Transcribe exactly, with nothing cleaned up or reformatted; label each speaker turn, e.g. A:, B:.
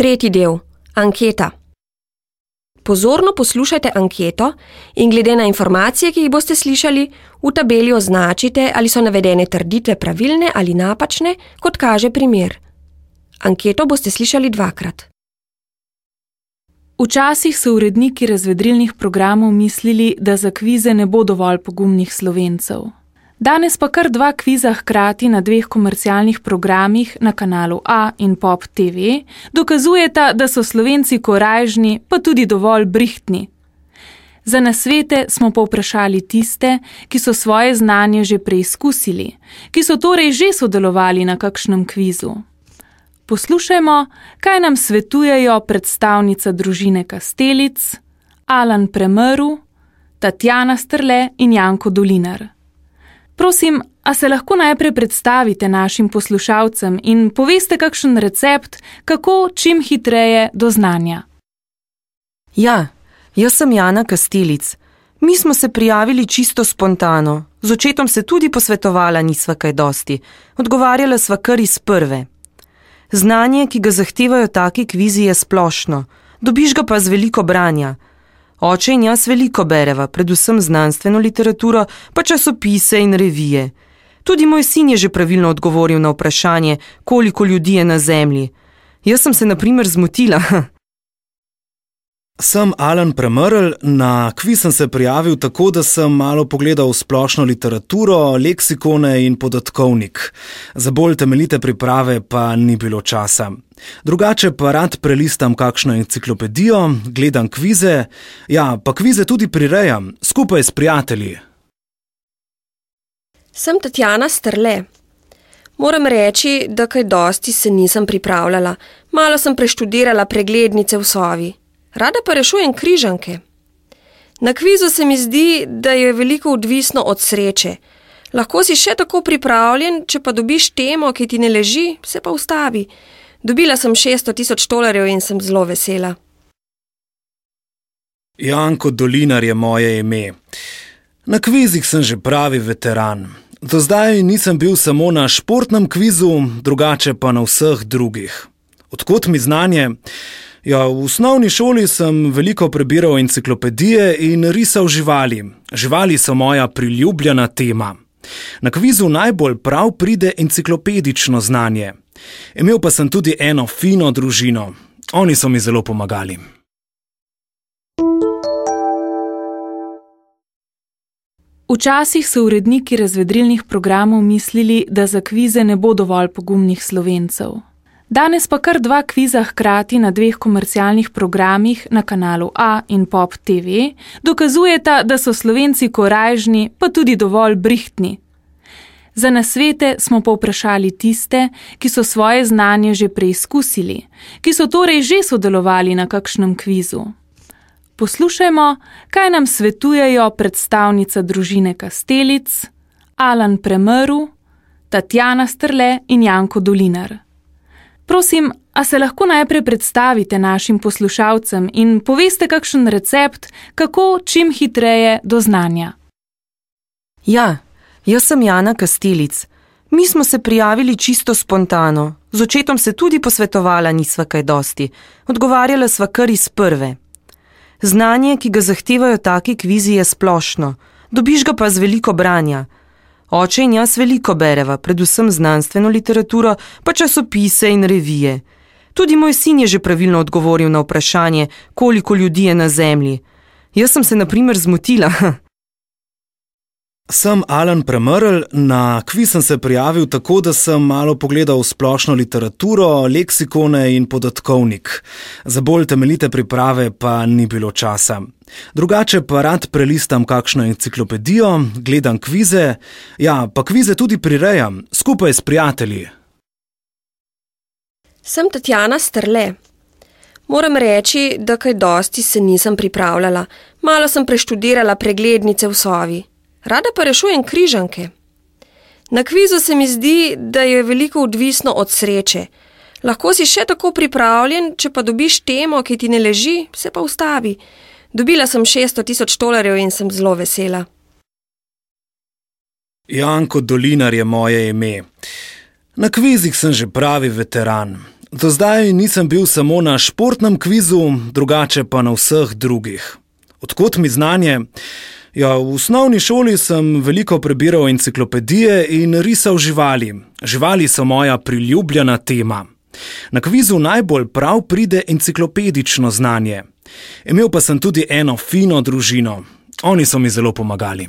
A: Tretji del. Anketa. Pozorno poslušajte anketo in glede na informacije, ki jih boste slišali, v tabeli označite, ali so navedene trditve pravilne ali napačne, kot kaže primer. Anketo boste slišali dvakrat.
B: Včasih so uredniki razvedrilnih programov mislili, da za kvize ne bo dovolj pogumnih Slovencev. Danes pa kar dva kviza hkrati na dveh komercialnih programih na kanalu A in Pop T V dokazujeta, da so Slovenci korajžni, pa tudi dovolj brihtni. Za nasvete smo povprašali tiste, ki so svoje znanje že preizkusili, ki so torej že sodelovali na kakšnem kvizu. Poslušajmo, kaj nam svetujejo predstavnica družine Kastelic, Alan Premrl, Tatjana Strle in Janko Dolinar. Prosim, a se lahko najprej predstavite našim poslušalcem in poveste kakšen recept, kako čim hitreje do znanja?
C: Ja, jaz sem Jana Kastelic. Mi smo se prijavili čisto spontano. Z očetom se tudi posvetovala nisva kaj dosti. Odgovarjala sva kar iz prve. Znanje, ki ga zahtevajo taki kvizi, je splošno. Dobiš ga pa z veliko branja. Oče in jaz veliko bereva, predvsem znanstveno literaturo, pa časopise in revije. Tudi moj sin je že pravilno odgovoril na vprašanje, koliko ljudi je na zemlji. Jaz sem se na primer zmotila.
D: Sem Alan Premrl, na kviz sem se prijavil tako, da sem malo pogledal splošno literaturo, leksikone in podatkovnik. Za bolj temeljite priprave pa ni bilo časa. Drugače pa rad prelistam kakšno enciklopedijo, gledam kvize, ja, pa kvize tudi prirejam, skupaj s prijatelji.
A: Sem Tatjana Strle. Moram reči, da kaj dosti se nisem pripravljala. Malo sem preštudirala preglednice v sovi. Rada pa rešujem križanke. Na kvizu se mi zdi, da je veliko odvisno od sreče. Lahko si še tako pripravljen, če pa dobiš temo, ki ti ne leži, se pa ustavi. Dobila sem šeststo tisoč tolarjev in sem zelo vesela.
D: Janko Dolinar je moje ime. Na kvizih sem že pravi veteran. Do zdaj nisem bil samo na športnem kvizu, drugače pa na vseh drugih. Odkot mi znanje? Ja, v osnovni šoli sem veliko prebiral enciklopedije in risal živali. Živali so moja priljubljena tema. Na kvizu najbolj prav pride enciklopedično znanje. Imel pa sem tudi eno fino družino. Oni so mi zelo pomagali.
B: Včasih so uredniki razvedrilnih programov mislili, da za kvize ne bo dovolj pogumnih Slovencev. Danes pa kar dva kviza hkrati na dveh komercialnih programih na kanalu A in Pop T V dokazujeta, da so Slovenci korajžni, pa tudi dovolj brihtni. Za nasvete smo povprašali tiste, ki so svoje znanje že preizkusili, ki so torej že sodelovali na kakšnem kvizu. Poslušajmo, kaj nam svetujejo predstavnica družine Kastelic, Alan Premrl, Tatjana Strle in Janko Dolinar. Prosim, a se lahko najprej predstavite našim poslušalcem in poveste kakšen recept, kako čim hitreje do znanja?
C: Ja, jaz sem Jana Kastelic. Mi smo se prijavili čisto spontano. Z očetom se tudi posvetovala nisva kaj dosti. Odgovarjala sva kar iz prve. Znanje, ki ga zahtevajo taki kvizi, je splošno. Dobiš ga pa z veliko branja. Oče in jaz veliko bereva, predvsem znanstveno literaturo, pa časopise in revije. Tudi moj sin je že pravilno odgovoril na vprašanje, koliko ljudi je na zemlji. Jaz sem se na primer zmotila.
D: Sem Alan Premrl, na kviz sem se prijavil tako, da sem malo pogledal splošno literaturo, leksikone in podatkovnik. Za bolj temeljite priprave pa ni bilo časa. Drugače pa rad prelistam kakšno enciklopedijo, gledam kvize, ja, pa kvize tudi prirejam, skupaj s prijatelji.
A: Sem Tatjana Strle. Moram reči, da kaj dosti se nisem pripravljala. Malo sem preštudirala preglednice v sovi. Rada pa rešujem križanke. Na kvizu se mi zdi, da je veliko odvisno od sreče. Lahko si še tako pripravljen, če pa dobiš temo, ki ti ne leži, se pa ustavi. Dobila sem šeststo tisoč tolarjev in sem zelo vesela.
D: Janko Dolinar je moje ime. Na kvizih sem že pravi veteran. Do zdaj nisem bil samo na športnem kvizu, drugače pa na vseh drugih. Odkot mi znanje? Ja, v osnovni šoli sem veliko prebiral enciklopedije in risal živali. Živali so moja priljubljena tema. Na kvizu najbolj prav pride enciklopedično znanje. Imel pa sem tudi eno fino družino. Oni so mi zelo pomagali.